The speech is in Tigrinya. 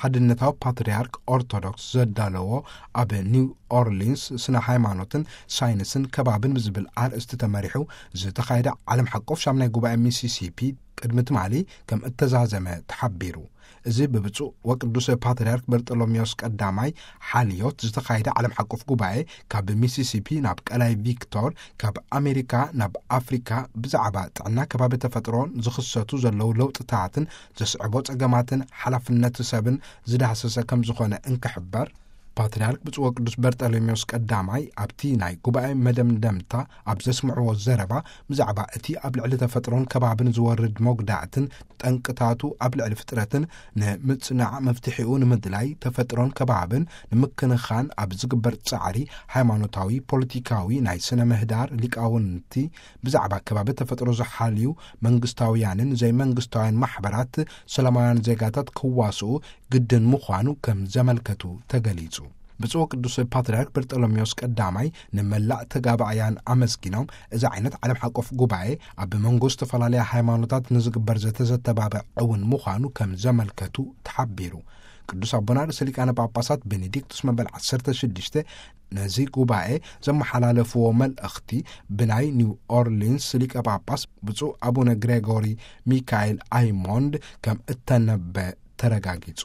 ሓድነታዊ ፓትርያርክ ኦርቶዶክስ ዘዳለዎ ኣብ ኒው ኦርሊንስ ስነ ሃይማኖትን ሳይንስን ከባብን ብዝብል ኣርእስቲ ተመሪሑ ዝተኻየደ ዓለም ሓቆፍ ሻምናይ ጉባኤ ሚሲሲፒ ቅድሚ ትማሊ ከም እተዛዘመ ተሓቢሩ። እዚ ብብፁዕ ወቅዱስ ፓትርያርክ በርጠሎሜዎስ ቀዳማይ ሓልዮት ዝተኻየደ ዓለም ሓቆፍ ጉባኤ ካብ ሚሲሲፒ ናብ ቀላይ ቪክቶር፣ ካብ ኣሜሪካ ናብ ኣፍሪካ ብዛዕባ ጥዕና ከባቢ ተፈጥሮን ዝኽሰቱ ዘለዉ ለውጥታትን ዘስዕቦ ጸገማትን ሓላፍነት ሰብን ዝዳሰሰ ከም ዝኾነ እንክሕበር፣ ፓትርያርክ ብፁዕ ወቅዱስ በርጠሎሜዎስ ቀዳማይ ኣብቲ ናይ ጉባኤ መደምደምታ ኣብ ዘስምዕዎ ዘረባ ብዛዕባ እቲ ኣብ ልዕሊ ተፈጥሮን ከባብን ዝወርድ መጉዳእትን ጠንቅታቱ ኣብ ልዕሊ ፍጥረትን ንምጽናዕ መፍትሒኡ ንምድላይ ተፈጥሮን ከባብን ንምክንኻን ኣብ ዝግበር ጻዕሪ ሃይማኖታዊ፣ ፖለቲካዊ፣ ናይ ስነ ምህዳር ሊቃውንቲ ብዛዕባ ከባቢ ተፈጥሮ ዝሓልዩ መንግስታውያንን ዘይመንግስታውያን ማሕበራት ሰላማውያን ዜጋታት ክዋስኡ ግድን ምዃኑ ከም ዘመልከቱ ተገሊጹ። ብፁዕ ቅዱስ ፓትርያርክ በርጠሎሜዎስ ቀዳማይ ንመላእ ተጋባእያን ኣመስጊኖም፣ እዚ ዓይነት ዓለም ሓቆፍ ጉባኤ ኣብ መንጎ ዝተፈላለያ ሃይማኖታት ንዝግበር ዘተዘተባብዕ እውን ምዃኑ ከም ዘመልከቱ ተሓቢሩ። ቅዱስ ኣቦና ርእሰ ሊቃነ ጳጳሳት ቤኔዲክቱስ መበል ዓሰርተ ሽዱሽተ ነዚ ጉባኤ ዘመሓላለፍዎ መልእኽቲ ብናይ ኒው ኦርሊንስ ሊቀ ጳጳስ ብፁዕ ኣቡነ ግሬጎሪ ሚካኤል ኣይሞንድ ከም እተነበ ተረጋጊጹ።